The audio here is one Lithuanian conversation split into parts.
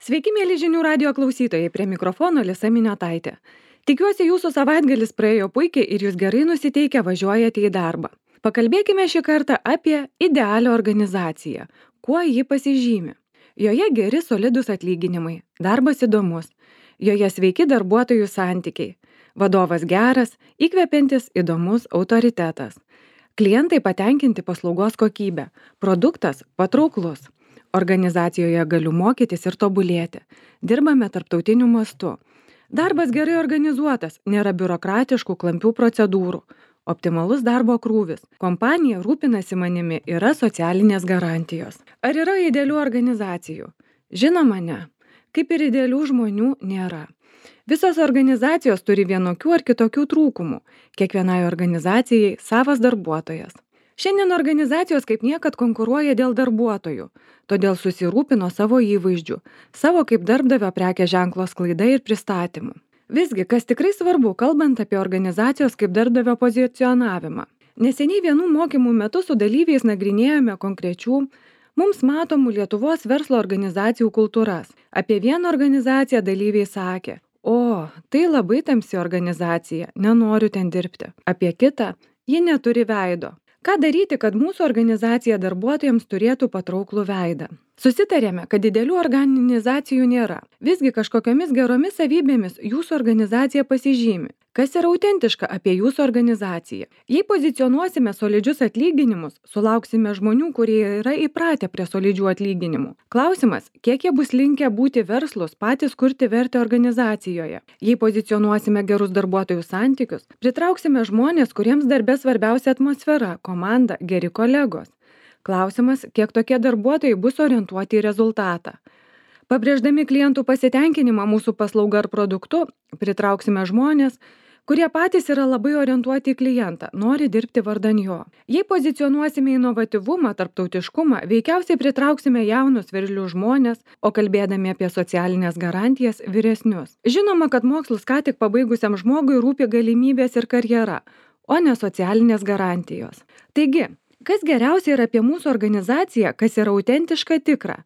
Sveiki, mėly žinių radio klausytojai, prie mikrofono Lisa Miniotaitė. Tikiuosi, jūsų savaitgalis praėjo puikiai ir jūs gerai nusiteikę važiuojate į darbą. Pakalbėkime šį kartą apie idealią organizaciją. Kuo ji pasižymi? Joje geri solidus atlyginimai, darbas įdomus, joje sveiki darbuotojų santykiai, vadovas geras, įkvepiantis įdomus autoritetas, klientai patenkinti paslaugos kokybę, produktas patrauklus. Organizacijoje galiu mokytis ir tobulėti. Dirbame tarptautiniu mastu. Darbas gerai organizuotas, nėra biurokratiškų klampių procedūrų. Optimalus darbo krūvis. Kompanija rūpinasi manimi, yra socialinės garantijos. Ar yra idealių organizacijų? Žinoma, ne. Kaip ir idealių žmonių nėra. Visos organizacijos turi vienokių ar kitokių trūkumų. Kiekvienai organizacijai savas darbuotojas. Šiandien organizacijos kaip niekad konkuruoja dėl darbuotojų, todėl susirūpino savo įvaizdžių, savo kaip darbdavio prekės ženklo sklaida ir pristatymu. Visgi, kas tikrai svarbu, kalbant apie organizacijos kaip darbdavio pozicionavimą. Neseniai vienų mokymų metu su dalyviais nagrinėjome konkrečių, mums matomų Lietuvos verslo organizacijų kultūras. Apie vieną organizaciją dalyviai sakė, o, tai labai tamsi organizacija, nenoriu ten dirbti. Apie kitą, ji neturi veido. Ką daryti, kad mūsų organizacija darbuotojams turėtų patrauklų veidą? Susitarėme, kad didelių organizacijų nėra. Visgi kažkokiamis geromis savybėmis jūsų organizacija pasižymi. Kas yra autentiška apie jūsų organizaciją? Jei pozicionuosime solidžius atlyginimus, sulauksime žmonių, kurie yra įpratę prie solidžių atlyginimų. Klausimas, kiek jie bus linkę būti verslus, patys kurti vertę organizacijoje. Jei pozicionuosime gerus darbuotojų santykius, pritrauksime žmonės, kuriems darbe svarbiausia atmosfera, komanda, geri kolegos. Klausimas, kiek tokie darbuotojai bus orientuoti į rezultatą. Pabrėždami klientų pasitenkinimą mūsų paslauga ar produktu, pritrauksime žmonės, kurie patys yra labai orientuoti į klientą, nori dirbti vardan jo. Jei pozicionuosime inovatyvumą, tarptautiškumą, veikiausiai pritrauksime jaunus veržlius žmonės, o kalbėdami apie socialinės garantijas vyresnius. Žinoma, kad mokslus ką tik pabaigusiam žmogui rūpi galimybės ir karjera, o ne socialinės garantijos. Taigi, kas geriausia yra apie mūsų organizaciją, kas yra autentiška tikra,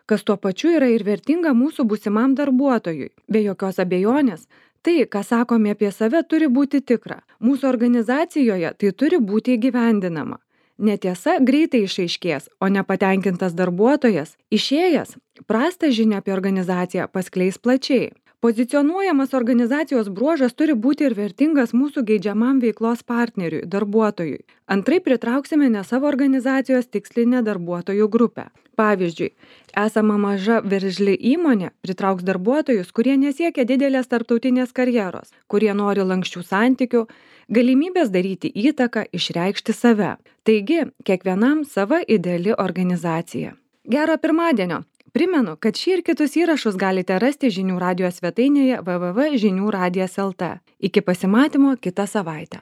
kas tuo pačiu yra ir vertinga mūsų būsimam darbuotojui. Be jokios abejonės, tai, ką sakome apie save, turi būti tikra. Mūsų organizacijoje tai turi būti įgyvendinama. Netiesa greitai išaiškės, o nepatenkintas darbuotojas, išėjęs, prastą žinią apie organizaciją paskleis plačiai. Pozicionuojamas organizacijos bruožas turi būti ir vertingas mūsų geidžiamam veiklos partneriui, darbuotojui. Antraip pritrauksime ne savo organizacijos tikslinę darbuotojų grupę. Pavyzdžiui, esama maža veržli įmonė pritrauks darbuotojus, kurie nesiekia didelės tarptautinės karjeros, kurie nori lanksčių santykių, galimybės daryti įtaką, išreikšti save. Taigi, kiekvienam sava ideali organizacija. Gero pirmadienio! Primenu, kad šį ir kitus įrašus galite rasti žinių radijo svetainėje www.žiniuradijas.lt. Iki pasimatymo kitą savaitę.